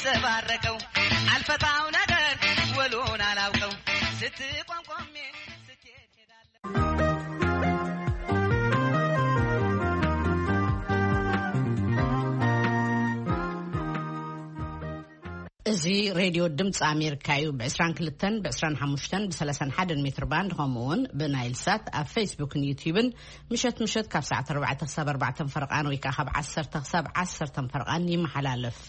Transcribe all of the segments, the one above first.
ዘባረቀው አልፈታው ነገር ወሎን አላውቀው ስትቋንቋሜ ስትሄድ ሄዳለሁ። እዚ ሬድዮ ድምፂ ኣሜሪካ እዩ። ብ22፣ ብ25፣ ብ31 ሜትር ባንድ፣ ከምኡ እውን ብናይል ሳት ኣብ ፌስቡክን ዩትዩብን ምሸት ምሸት ካብ ሰዓት ኣርባዕተ ክሳብ ኣርባዕተ ፈረቓን ወይ ከዓ ካብ ዓሰርተ ክሳብ ዓሰርተ ፈረቓን ይመሓላለፍ።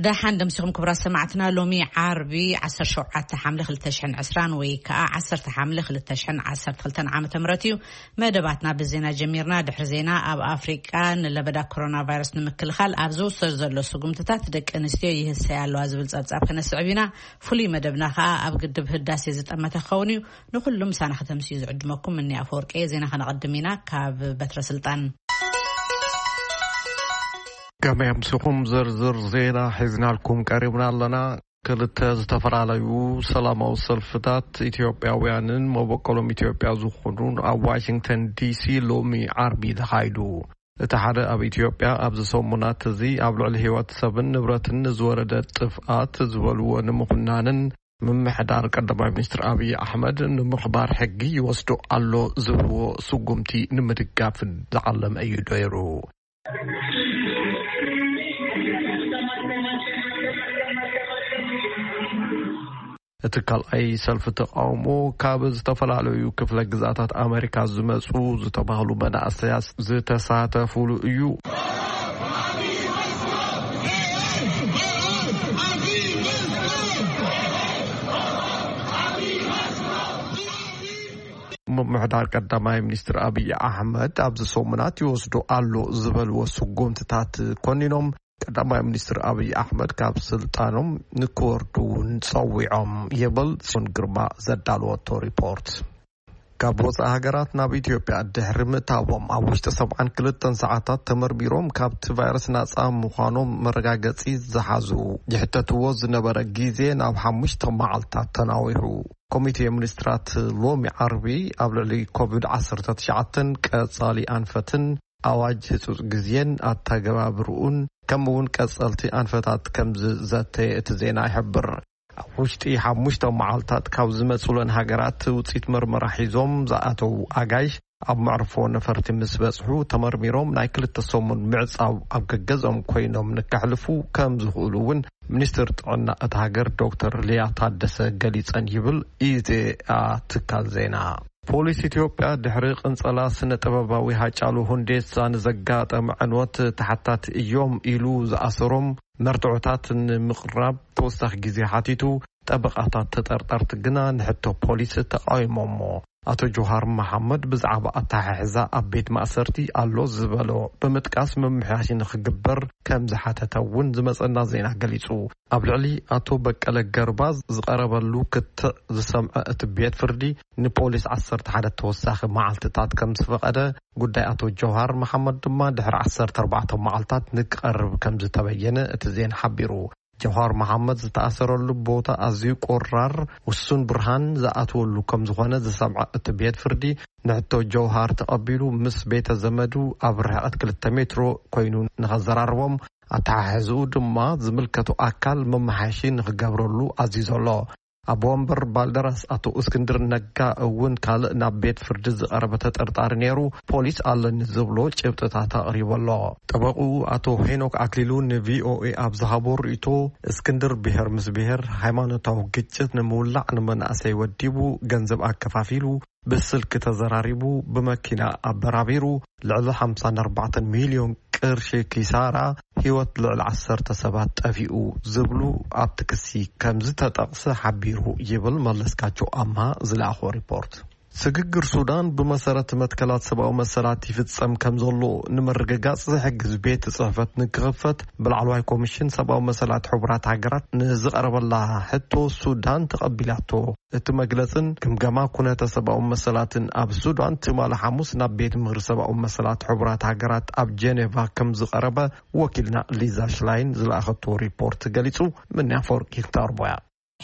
ደሓን ደምሲኹም ክቡራት ሰማዕትና። ሎሚ ዓርቢ ዓሰርተ ሸውዓተ ሓምለ ክልተ ሽሕን ዕስራን ወይ ከዓ ዓሰርተ ሓምለ ክልተ ሽሕን ዓሰርተ ክልተን ዓመተ ምህረት እዩ። መደባትና ብዜና ጀሚርና። ድሕሪ ዜና ኣብ ኣፍሪቃ ንለበዳ ኮሮና ቫይረስ ንምክልኻል ኣብ ዝውሰድ ዘሎ ስጉምትታት ደቂ ኣንስትዮ ይህሰያ ኣለዋ ዝብል ጸብጻብ ከነስዕብ ኢና። ፍሉይ መደብና ከዓ ኣብ ግድብ ህዳሴ ዝጠመተ ክኸውን እዩ። ንኹሉ ምሳና ከተምስዩ ዝዕድመኩም እኒ ኣፈወርቂ እየ። ዜና ከነቐድም ኢና ካብ በትረ ስልጣን። ከመይ ኣምሲኹም? ዝርዝር ዜና ሒዝናልኩም ቀሪብና ኣለና። ክልተ ዝተፈላለዩ ሰላማዊ ሰልፍታት ኢትዮጵያውያንን መበቆሎም ኢትዮጵያ ዝኾኑን ኣብ ዋሽንግተን ዲሲ ሎሚ ዓርቢ ተኻይዱ። እቲ ሓደ ኣብ ኢትዮጵያ ኣብዚ ሰሙናት እዚ ኣብ ልዕሊ ህይወት ሰብን ንብረትን ንዝወረደ ጥፍኣት ዝበልዎ ንምኹናንን ምምሕዳር ቀዳማይ ሚኒስትር ኣብይ ኣሕመድ ንምኽባር ሕጊ ይወስዶ ኣሎ ዝብልዎ ስጉምቲ ንምድጋፍን ዝዓለመ እዩ ነይሩ። እቲ ካልኣይ ሰልፊ ተቃውሞ ካብ ዝተፈላለዩ ክፍለ ግዛታት ኣመሪካ ዝመጹ ዝተባህሉ መናእሰያት ዝተሳተፉሉ እዩ። ምምሕዳር ቀዳማይ ሚኒስትር ኣብይ ኣሕመድ ኣብዚ ሰሙናት ይወስዶ ኣሎ ዝበልዎ ስጉምትታት ኮኒኖም፣ ቀዳማይ ሚኒስትር ኣብይ ኣሕመድ ካብ ስልጣኖም ንክወርዱ እውን ጸዊዖም ይብል ጽዮን ግርማ ዘዳለወቶ ሪፖርት። ካብ ወጻኢ ሃገራት ናብ ኢትዮጵያ ድሕሪ ምእታዎም ኣብ ውሽጢ ሰብዓን ክልተን ሰዓታት ተመርሚሮም ካብቲ ቫይረስ ናጻ ምዃኖም መረጋገጺ ዝሓዙ ዝሕተትዎ ዝነበረ ግዜ ናብ ሓሙሽተ መዓልታት ተናዊሑ። ኮሚቴ ሚኒስትራት ሎሚ ዓርቢ ኣብ ልዕሊ ኮቪድ ዓሰርተ ትሽዓተን ቀጻሊ ኣንፈትን ኣዋጅ ህጹጽ ግዜን ኣተገባብርኡን ከምኡ እውን ቀጸልቲ ኣንፈታት ከም ዝዘተየ እቲ ዜና ይሕብር። ኣብ ውሽጢ ሓሙሽተ መዓልታት ካብ ዝመጹለን ሃገራት ውጽኢት መርመራ ሒዞም ዝኣተዉ ኣጋይሽ ኣብ መዕርፎ ነፈርቲ ምስ በጽሑ ተመርሚሮም ናይ ክልተ ሰሙን ምዕጻው ኣብ ገገዝኦም ኮይኖም ንከሕልፉ ከም ዝኽእሉ እውን ሚኒስትር ጥዕና እታ ሃገር ዶክተር ሊያ ታደሰ ገሊጸን ይብል ኢዜኣ ትካል ዜና። ፖሊስ ኢትዮጵያ ድሕሪ ቅንጸላ ስነ ጥበባዊ ሃጫሉ ሁንዴሳ ንዘጋጠመ ዕንወት ተሓታቲ እዮም ኢሉ ዝኣሰሮም መርትዖታት ንምቕራብ ተወሳኺ ግዜ ሓቲቱ፣ ጠበቓታት ተጠርጠርቲ ግና ንሕቶ ፖሊስ ተቃዊሞሞ። ኣቶ ጆሃር መሓመድ ብዛዕባ ኣተሓሕዛ ኣብ ቤት ማእሰርቲ ኣሎ ዝበሎ ብምጥቃስ ምምሕያሽ ንክግበር ከም ዝሓተተ እውን ዝመጸና ዜና ገሊጹ። ኣብ ልዕሊ ኣቶ በቀለ ገርባ ዝቐረበሉ ክትዕ ዝሰምዐ እቲ ቤት ፍርዲ ንፖሊስ ዓሰርተ ሓደ ተወሳኺ መዓልትታት ከም ዝፈቐደ፣ ጉዳይ ኣቶ ጀውሃር መሓመድ ድማ ድሕሪ ዓሰርተ ኣርባዕተ መዓልታት ንክቐርብ ከም ዝተበየነ እቲ ዜና ሓቢሩ። ጀውሃር መሓመድ ዝተኣሰረሉ ቦታ ኣዝዩ ቆራር፣ ውሱን ብርሃን ዝኣትወሉ ከም ዝኾነ ዝሰምዐ እቲ ቤት ፍርዲ፣ ንሕቶ ጀውሃር ተቐቢሉ ምስ ቤተ ዘመዱ ኣብ ርሕቀት ክልተ ሜትሮ ኮይኑ ንኸዘራርቦም፣ ኣተሓሕዝኡ ድማ ዝምልከቶ ኣካል መመሓየሺ ንኽገብረሉ ኣዚዙ ኣሎ። ኣቦ ወንበር ባልደራስ ኣቶ እስክንድር ነጋ እውን ካልእ ናብ ቤት ፍርዲ ዝቐረበ ተጠርጣሪ ነይሩ፣ ፖሊስ ኣለኒ ዝብሎ ጭብጥታት ኣቕሪቡ ኣሎ። ጠበቕኡ ኣቶ ሄኖክ ኣክሊሉ ንቪኦኤ ኣብ ዝሃቦ ርእይቶ፣ እስክንድር ብሄር ምስ ብሄር ሃይማኖታዊ ግጭት ንምውላዕ ንመናእሰይ ወዲቡ ገንዘብ ኣከፋፊሉ፣ ብስልኪ ተዘራሪቡ፣ ብመኪና ኣበራቢሩ፣ ልዕሊ ሓምሳን ኣርባዕተን ሚልዮን ቅርሺ ኪሳራ፣ ህይወት ልዕሊ ዓሰርተ ሰባት ጠፊኡ ዝብሉ ኣብቲ ክሲ ከም ዝተጠቕሰ ሓቢሩ ይብል መለስካቸው ኣምሃ ዝለኣኾ ሪፖርት። ስግግር ሱዳን ብመሰረት መትከላት ሰብኣዊ መሰላት ይፍጸም ከም ዘሎ ንምርግጋጽ ዝሕግዝ ቤት ጽሕፈት ንክኽፈት ብላዕለዋይ ኮሚሽን ሰብኣዊ መሰላት ሕቡራት ሃገራት ንዝቐረበላ ሕቶ ሱዳን ተቐቢላቶ። እቲ መግለጽን ግምገማ ኩነተ ሰብኣዊ መሰላትን ኣብ ሱዳን ትማሊ ሓሙስ ናብ ቤት ምኽሪ ሰብኣዊ መሰላት ሕቡራት ሃገራት ኣብ ጀኔቫ ከም ዝቐረበ ወኪልና ሊዛ ሽላይን ዝለኣኸቶ ሪፖርት ገሊጹ። ምንያ ኣፈወርቂ ክተቕርቦ እያ።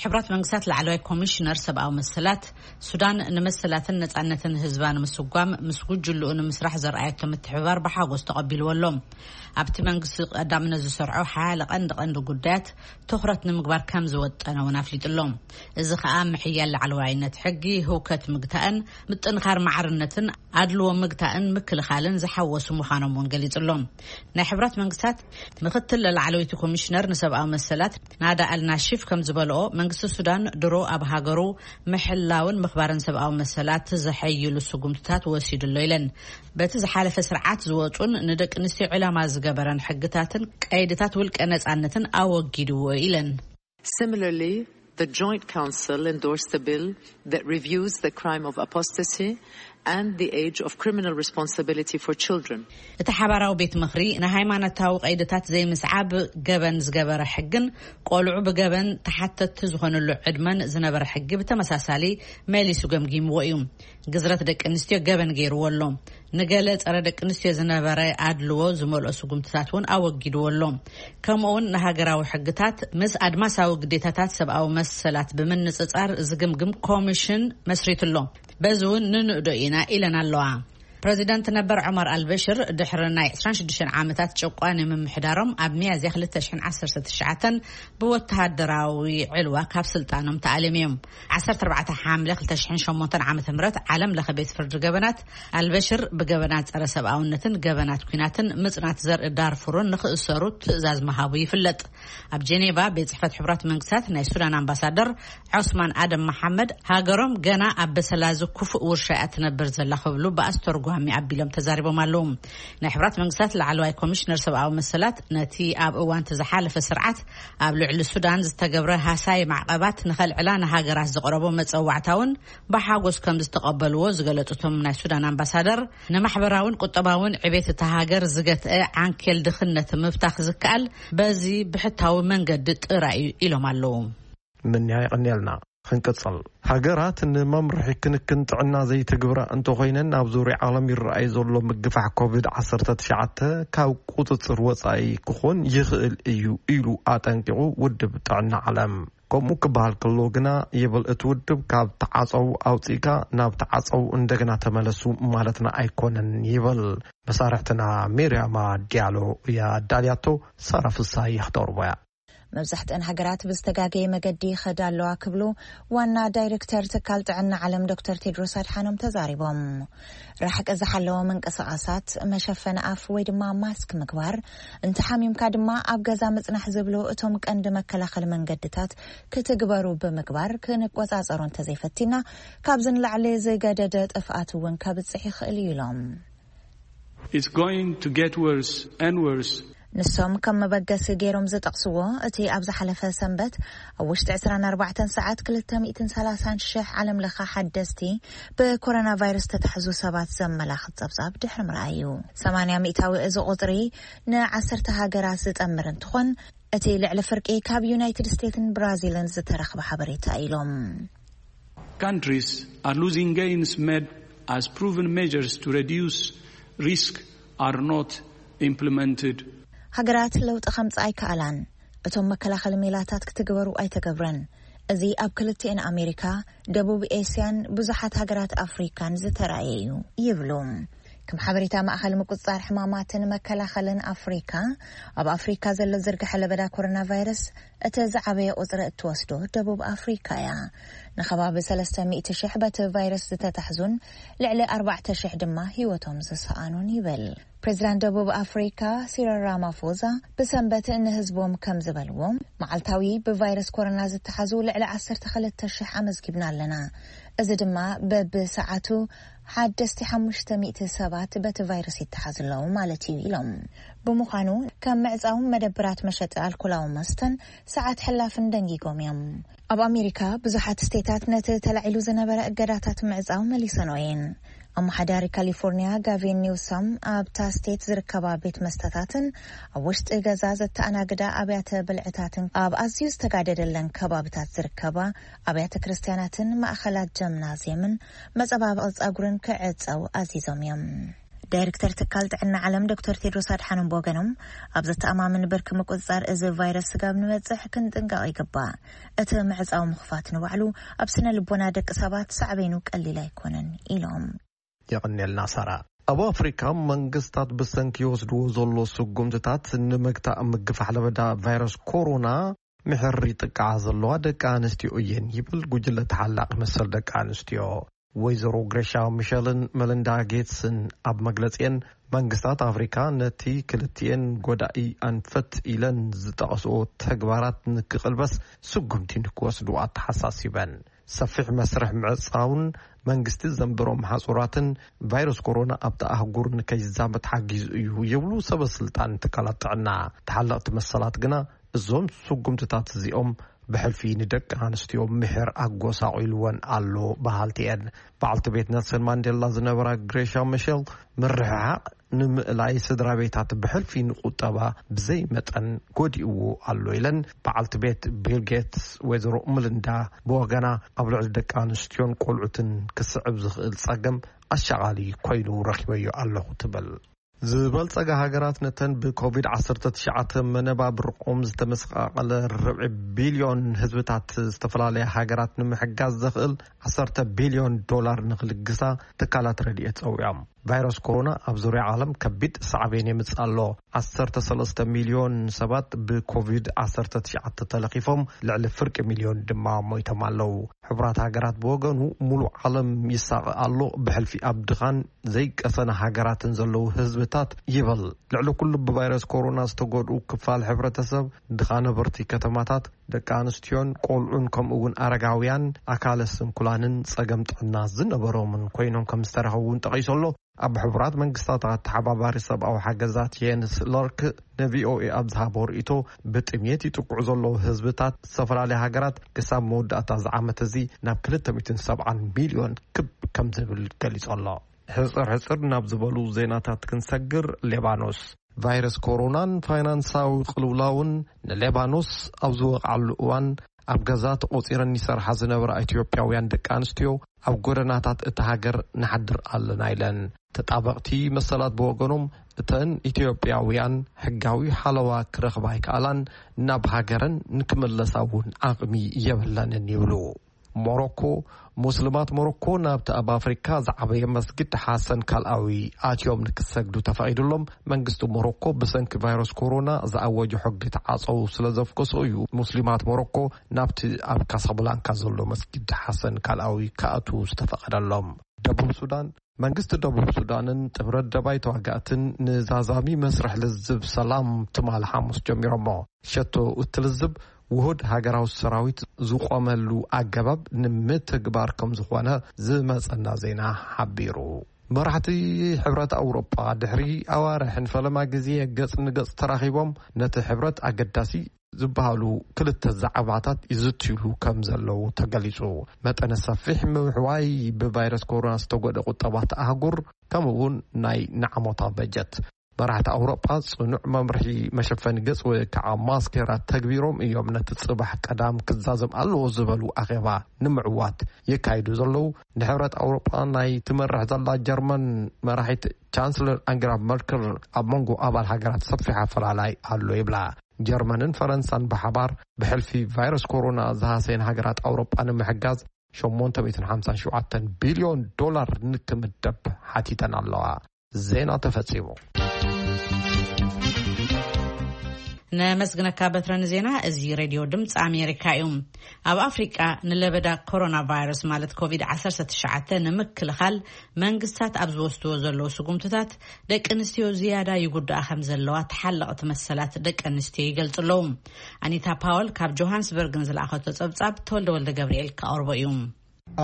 ሕብራት መንግስታት ላዕለዋይ ኮሚሽነር ሰብኣዊ መሰላት፣ ሱዳን ንመሰላትን ነጻነትን ህዝባ ንምስጓም ምስ ጉጅልኡ ንምስራሕ ዘርኣየቶ ምትሕብባር ብሓጎስ ተቐቢልዎ ኣሎ። ኣብቲ መንግስቲ ቀዳምነት ዝሰርዖ ሓያለ ቀንዲ ቀንዲ ጉዳያት ትኹረት ንምግባር ከም ዝወጠነ እውን ኣፍሊጡ ኣሎ። እዚ ከኣ ምሕያል ላዕለዋይነት ሕጊ፣ ህውከት ምግታእን ምጥንኻር ማዕርነትን ኣድልዎ ምግታእን ምክልኻልን ዝሓወሱ ምዃኖም እውን ገሊጹ ኣሎ። ናይ ሕብራት መንግስታት ምክትል ላዕለወይቲ ኮሚሽነር ንሰብኣዊ መሰላት ናዳ ኣልናሺፍ ከም ዝበልኦ፣ መንግስቲ ሱዳን ድሮ ኣብ ሃገሩ ምሕላውን ምኽባርን ሰብኣዊ መሰላት ዘሐይሉ ስጉምትታት ወሲዱ ኣሎ ኢለን። በቲ ዝሓለፈ ስርዓት ዝወጹን ንደቂ ኣንስትዮ ዕላማ ዝገበረን ሕግታትን ቀይድታት ውልቀ ነጻነትን ኣወጊድዎ ኢለን። Similarly, the Joint Council endorsed a bill that reviews the crime of apostasy and the age of criminal responsibility for children. እቲ ሓባራዊ ቤት ምኽሪ ንሃይማኖታዊ ቀይድታት ዘይምስዓብ ገበን ዝገበረ ሕግን ቆልዑ ብገበን ተሓተቲ ዝኾነሉ ዕድመን ዝነበረ ሕጊ ብተመሳሳሊ መሊሱ ገምጊምዎ እዩ። ግዝረት ደቂ ኣንስትዮ ገበን ገይርዎ ኣሎ። ንገለ ጸረ ደቂ ኣንስትዮ ዝነበረ ኣድልዎ ዝመልኦ ስጉምትታት እውን ኣወጊድዎ ኣሎ። ከምኡ እውን ንሃገራዊ ሕግታት ምስ ኣድማሳዊ ግዴታታት ሰብኣዊ መሰላት ብምንጽጻር ዝግምግም ኮሚሽን መስሪቱ ኣሎ። በዚ እውን ንንእዶ ኢና ኢለን ኣለዋ። ፕረዚደንት ነበር ዑመር ኣልበሽር ድሕሪ ናይ ዕስራን ሽዱሽተን ዓመታት ጨቋኒ ምምሕዳሮም ኣብ ሚያዝያ ክልተ ሽሕን ዓሰርተ ትሽዓተን ብወተሃደራዊ ዕልዋ ካብ ስልጣኖም ተኣልዮም እዮም። ዓሰርተ ኣርባዕተ ሓምለ ክልተ ሽሕን ሸሞንተን ዓመተ ምህረት ዓለም ለኸ ቤት ፍርዲ ገበናት ኣልበሽር ብገበናት ጸረ ሰብኣውነትን ገበናት ኲናትን ምጽናት ዘርኢ ዳርፉርን ንኽእሰሩ ትእዛዝ ምሃቡ ይፍለጥ። ኣብ ጀኔቫ ቤት ጽሕፈት ሕቡራት መንግስታት ናይ ሱዳን ኣምባሳደር ዖስማን ኣደም መሓመድ፣ ሃገሮም ገና ኣብ በሰላ እዚ ክፉእ ውርሻ እያ ትነብር ዘላ ክብሉ ብኣስተርጓሚ ኣቢሎም ተዛሪቦም ኣለዉ። ናይ ሕቡራት መንግስታት ላዕለዋይ ኮሚሽነር ሰብኣዊ መሰላት ነቲ ኣብ እዋን እቲ ዝሓለፈ ስርዓት ኣብ ልዕሊ ሱዳን ዝተገብረ ሃሳይ ማዕቐባት ንኸልዕላ ንሃገራት ዝቐረቦ መጸዋዕታ እውን ብሓጎስ ከም ዝተቐበልዎ ዝገለጹ እቶም ናይ ሱዳን ኣምባሳደር፣ ንማሕበራውን ቁጠባውን ዕቤት እታ ሃገር ዝገትአ ዓንኬል ድኽነት ምፍታኽ ዝከኣል በዚ ብሕታዊ መንገዲ ጥራይ እዩ ኢሎም ኣለዉ። ምንያ የቐንየልና። ክንቅጽል፣ ሃገራት ንመምርሒ ክንክን ጥዕና ዘይትግብራ እንተኾይነን፣ ኣብ ዙርያ ዓለም ይረኣይ ዘሎ ምግፋሕ ኮቪድ ዓሰርተ ትሽዓተ ካብ ቁጽጽር ወጻኢ ክኾን ይኽእል እዩ ኢሉ ኣጠንቂቑ ውድብ ጥዕና ዓለም። ከምኡ ክበሃል ከሎ ግና ይብል እቲ ውድብ፣ ካብ ተዓጸው ኣውጺእካ ናብ ተዓጸው እንደገና ተመለሱ ማለትና ኣይኮነን ይብል። መሳርሕትና ሜርያማ ዲያሎ እያ ኣዳልያቶ፣ ሳራ ፍሳይ ክትቕርቦ እያ። መብዛሕትአን ሃገራት ብዝተጋገየ መገዲ ይኸዳ ኣለዋ ክብሉ ዋና ዳይሬክተር ትካል ጥዕና ዓለም ዶክተር ቴድሮስ ኣድሓኖም ተዛሪቦም። ራሕቂ ዝሓለወ ምንቅስቓሳት፣ መሸፈኒ ኣፍ ወይ ድማ ማስክ ምግባር፣ እንተሓሚምካ ድማ ኣብ ገዛ ምጽናሕ ዝብሉ እቶም ቀንዲ መከላኸሊ መንገድታት ክትግበሩ ብምግባር ክንቆጻጸሮ እንተዘይፈቲና ካብዚ ንላዕሊ ዝገደደ ጥፍኣት እውን ከብጽሕ ይኽእል እዩ ኢሎም። It's going to get worse and worse. ንሶም ከም መበገሲ ገይሮም ዝጠቕስዎ፣ እቲ ኣብ ዝሓለፈ ሰንበት ኣብ ውሽጢ ዕስራን ኣርባዕተን ሰዓት ክልተ ሚእትን ሰላሳን ሽሕ ዓለም ለኸ ሓደስቲ ብኮሮና ቫይረስ ዝተታሕዙ ሰባት ዘመላኽት ጸብጻብ ድሕሪ ምርኣይ እዩ። ሰማንያ ሚእታዊ እዚ ቁጽሪ ንዓሰርተ ሃገራት ዝጠምር እንትኾን፣ እቲ ልዕሊ ፍርቂ ካብ ዩናይትድ ስቴትስን ብራዚልን ዝተረኽበ ሓበሬታ ኢሎም። Countries are losing gains made as proven measures to reduce risk are not implemented. ሃገራት ለውጢ ከምጽእ ኣይከኣላን። እቶም መከላኸሊ ሜላታት ክትግበሩ ኣይተገብረን። እዚ ኣብ ክልቲኤን ኣሜሪካ፣ ደቡብ ኤስያን ብዙሓት ሃገራት ኣፍሪካን ዝተራእየ እዩ ይብሉ። ከም ሓበሬታ ማእኸል ምቁፅፃር ሕማማትን መከላኸልን ኣፍሪካ፣ ኣብ ኣፍሪካ ዘሎ ዝርግሐ ለበዳ ኮሮና ቫይረስ እቲ ዝዓበየ ቁፅሪ እትወስዶ ደቡብ ኣፍሪካ እያ። ንከባቢ ሰለስተ ሚእቲ ሽሕ በቲ ቫይረስ ዝተታሕዙን ልዕሊ ኣርባዕተ ሽሕ ድማ ህይወቶም ዝሰኣኑን ይብል። ፕሬዚዳንት ደቡብ ኣፍሪካ ሲሪል ራማፎዛ ብሰንበት ንህዝቦም ከም ዝበልዎ፣ መዓልታዊ ብቫይረስ ኮሮና ዝተሓዙ ልዕሊ ዓሰርተ ክልተ ሽሕ ኣመዝጊብና ኣለና። እዚ ድማ በብሰዓቱ ሓደስቲ ሓሙሽተ ሚእቲ ሰባት በቲ ቫይረስ ይተሓዙ ኣለዉ ማለት እዩ ኢሎም። ብምዃኑ ከም ምዕጻው መደብራት መሸጢ ኣልኮላዊ መስተን ሰዓት ሕላፍን ደንጊጎም እዮም። ኣብ ኣሜሪካ ብዙሓት ስቴታት ነቲ ተላዒሉ ዝነበረ እገዳታት ምዕጻው መሊሰንኦ እየን። ኣመሓዳሪ ካሊፎርኒያ ጋቪን ኒውሶም ኣብታ ስቴት ዝርከባ ቤት መስተታትን ኣብ ውሽጢ ገዛ ዘተኣናግዳ ኣብያተ ብልዕታትን ኣብ ኣዝዩ ዝተጋደደለን ከባብታት ዝርከባ ኣብያተ ክርስትያናትን ማእኸላት ጀምናዝየምን መጸባበቒ ጸጉርን ክዕጸው ኣዚዞም እዮም። ዳይሬክተር ትካል ጥዕና ዓለም ዶክተር ቴድሮስ ኣድሓኖም ብወገኖም፣ ኣብ ዘተኣማምን ብርኪ ምቁጽጻር እዚ ቫይረስ ስጋብ ንበጽሕ ክንጥንቀቕ ይግባእ። እቲ ምዕጻው ምኽፋት ንባዕሉ ኣብ ስነ ልቦና ደቂ ሰባት ሳዕቤኑ ቀሊል ኣይኮነን ኢሎም። የቐንየልና ሳራ። ኣብ ኣፍሪካ መንግስታት ብሰንኪ ይወስድዎ ዘሎ ስጉምትታት ንምግታእ ምግፋሕ ለበዳ ቫይረስ ኮሮና ምሕር ይጥቃዓ ዘለዋ ደቂ ኣንስትዮ እየን ይብል ጉጅለ ተሓላቂ መሰል ደቂ ኣንስትዮ። ወይዘሮ ግሬሻ ሚሸልን መለንዳ ጌትስን ኣብ መግለጺአን መንግስታት ኣፍሪካ ነቲ ክልቲኤን ጎዳኢ ኣንፈት ኢለን ዝጠቐስኦ ተግባራት ንክቕልበስ ስጉምቲ ንክወስዱ ኣተሓሳሲበን። ሰፊሕ መስርሕ ምዕጻውን መንግስቲ ዘንብሮም ሓጹራትን ቫይረስ ኮሮና ኣብቲ ኣህጉር ንከይዛመት ሓጊዙ እዩ ይብሉ ሰበ ስልጣን ትካላት ጥዕና። ተሓለቕቲ መሰላት ግና እዞም ስጉምትታት እዚኦም ብሕልፊ ንደቂ ኣንስትዮ ምሕር ኣጎሳቒልወን ኣሎ በሃልቲ እየን። በዓልቲ ቤት ነልሰን ማንዴላ ዝነበራ ግሬሻ ሚሸል ምርሕሓቕ ንምእላይ ስድራ ቤታት ብሕልፊ ንቁጠባ ብዘይ መጠን ጎዲእዎ ኣሎ ኢለን። በዓልቲ ቤት ቢል ጌትስ ወይዘሮ ምልንዳ ብወገና ኣብ ልዕሊ ደቂ ኣንስትዮን ቆልዑትን ክስዕብ ዝኽእል ጸገም ኣሻቓሊ ኮይኑ ረኺበዮ ኣለኹ ትብል። ዝበልጸጋ ሃገራት ነተን ብኮቪድ ዓሰርተ ትሽዓተ መነባብርኦም ዝተመሰቃቀለ ርብዒ ቢልዮን ህዝብታት ዝተፈላለያ ሃገራት ንምሕጋዝ ዘኽእል ዓሰርተ ቢልዮን ዶላር ንክልግሳ ትካላት ረድኤት ጸዊዖም። ቫይረስ ኮሮና ኣብ ዙርያ ዓለም ከቢድ ሳዕቤን የምጽእ ኣሎ። ዓሰርተ ሰለስተ ሚልዮን ሰባት ብኮቪድ ዓሰርተ ትሽዓተ ተለኺፎም፣ ልዕሊ ፍርቂ ሚልዮን ድማ ሞይቶም ኣለዉ። ሕቡራት ሃገራት ብወገኑ፣ ሙሉእ ዓለም ይሳቐ ኣሎ፣ ብሕልፊ ኣብ ድኻን ዘይቀሰነ ሃገራትን ዘለዉ ህዝብታት ይበል። ልዕሊ ኩሉ ብቫይረስ ኮሮና ዝተጎድኡ ክፋል ሕብረተሰብ፣ ድኻ ነበርቲ ከተማታት፣ ደቂ ኣንስትዮን ቆልዑን ከምኡ እውን ኣረጋውያን ኣካለ ስንኩላንን ጸገም ጥዕና ዝነበሮምን ኮይኖም ከም ዝተረኸቡ እውን ጠቒሱ ኣሎ። ኣብ ሕቡራት መንግስታት ኣተሓባባሪ ሰብኣዊ ሓገዛት የንስ ሎርክ ንቪኦኤ ኣብ ዝሃቦ ርእይቶ፣ ብጥሜት ይጥቅዑ ዘለዉ ህዝብታት ዝተፈላለያ ሃገራት ክሳብ መወዳእታ እዚ ዓመት እዚ ናብ ክልተ ሚእትን ሰብዓን ሚልዮን ክብ ከም ዝብል ገሊጹ ኣሎ። ሕጽር ሕጽር ናብ ዝበሉ ዜናታት ክንሰግር፣ ሌባኖስ ቫይረስ ኮሮናን ፋይናንሳዊ ቅልውላውን ንሌባኖስ ኣብ ዝወቕዓሉ እዋን፣ ኣብ ገዛ ተቖጺረን ይሰርሓ ዝነበራ ኢትዮጵያውያን ደቂ ኣንስትዮ ኣብ ጎደናታት እታ ሃገር ንሓድር ኣለና ኢለን። ተጣበቕቲ መሰላት ብወገኖም፣ እተን ኢትዮጵያውያን ሕጋዊ ሓለዋ ክረኽባ ኣይከኣላን፣ ናብ ሃገረን ንክምለሳ እውን ዓቕሚ የብለንን ይብሉ። ሞሮኮ፣ ሙስልማት ሞሮኮ ናብቲ ኣብ ኣፍሪካ ዝዓበየ መስጊድ ሓሰን ካልኣዊ ኣትዮም ንክሰግዱ ተፈቒዱሎም። መንግስቲ ሞሮኮ ብሰንኪ ቫይረስ ኮሮና ዝኣወጆ ሕጊ ተዓፀው ስለ ዘፍከሶ እዩ ሙስሊማት ሞሮኮ ናብቲ ኣብ ካሳብላንካ ዘሎ መስጊድ ሓሰን ካልኣዊ ክኣትዉ ዝተፈቐደሎም። ደቡብ ሱዳን፣ መንግስቲ ደቡብ ሱዳንን ጥምረት ደባይ ተዋጋእትን ንዛዛሚ መስርሕ ልዝብ ሰላም ትማሊ ሓሙስ ጀሚሮሞ። ሸቶ እቲ ልዝብ ውሁድ ሃገራዊ ሰራዊት ዝቆመሉ ኣገባብ ንምትግባር ከም ዝኾነ ዝመጸና ዜና ሓቢሩ። መራሕቲ ሕብረት ኣውሮጳ ድሕሪ ኣዋርሕን ፈለማ ግዜ ገጽ ንገጽ ተራኺቦም ነቲ ሕብረት ኣገዳሲ ዝበሃሉ ክልተ ዛዕባታት ይዝትዩሉ ከም ዘለዉ ተገሊጹ። መጠነ ሰፊሕ ምውሕዋይ ብቫይረስ ኮሮና ዝተጎደ ቁጠባት ኣህጉር፣ ከምኡ እውን ናይ ንዓሞታ በጀት። መራሕቲ ኣውሮጳ ጽኑዕ መምርሒ መሸፈኒ ገጽ ወይ ከዓ ማስኬራ ተግቢሮም እዮም ነቲ ጽባሕ ቀዳም ክዛዘም ኣለዎ ዝበሉ ኣኼባ ንምዕዋት የካይዱ ዘለዉ። ንሕብረት ኣውሮጳ ናይ ትመርሕ ዘላ ጀርመን መራሒት ቻንስለር ኣንጌላ መርከል ኣብ መንጎ ኣባል ሃገራት ሰፊሕ ኣፈላላይ ኣሎ ይብላ። ጀርመንን ፈረንሳን ብሓባር ብሕልፊ ቫይረስ ኮሮና ዝሃሰየን ሃገራት ኣውሮጳ ንምሕጋዝ ሸሞንተ ሚእትን ሓምሳን ሸውዓተን ቢልዮን ዶላር ንክምደብ ሓቲተን ኣለዋ። ዜና ተፈጺሙ። ነመስግነካ በትረ ንዜና። እዚ ሬድዮ ድምፂ ኣሜሪካ እዩ። ኣብ ኣፍሪቃ ንለበዳ ኮሮና ቫይረስ ማለት ኮቪድ ዓሰርተ ትሽዓተ ንምክልኻል መንግስታት ኣብ ዝወስድዎ ዘለዉ ስጉምትታት ደቂ ኣንስትዮ ዝያዳ ይጉዳኣ ከም ዘለዋ ተሓለቕቲ መሰላት ደቂ ኣንስትዮ ይገልጹ ኣለዉ። ኣኒታ ፓወል ካብ ጆሃንስበርግን ዝለኣኸቶ ጸብጻብ ተወልደ ወልደ ገብርኤል ክቐርቦ እዩ።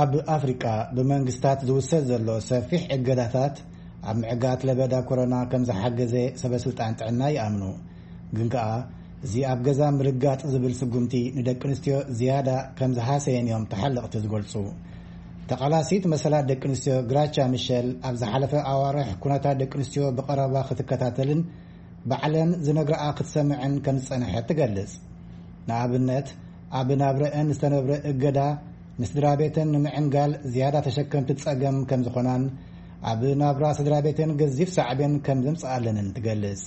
ኣብ ኣፍሪቃ ብመንግስታት ዝውሰድ ዘሎ ሰፊሕ እገዳታት ኣብ ምዕጋት ለበዳ ኮሮና ከም ዝሓገዘ ሰበ ስልጣን ጥዕና ይኣምኑ። ግን ከኣ እዚ ኣብ ገዛ ምርጋጥ ዝብል ስጉምቲ ንደቂ ኣንስትዮ ዝያዳ ከም ዝሃሰየን እዮም ተሓለቕቲ ዝገልጹ። ተቓላሲት መሰላት ደቂ ኣንስትዮ ግራቻ ሚሸል ኣብ ዝሓለፈ ኣዋርሕ ኩነታት ደቂ ኣንስትዮ ብቐረባ ክትከታተልን ባዕለን ዝነግረኣ ክትሰምዕን ከም ዝጸንሐት ትገልጽ። ንኣብነት፣ ኣብ ናብረአን ዝተነብረ እገዳ ንስድራ ቤተን ንምዕንጋል ዝያዳ ተሸከምቲ ጸገም ከም ዝኾናን ኣብ ናብራ ስድራ ቤተን ገዚፍ ሳዕቤን ከም ዘምጽኣለንን ትገልጽ።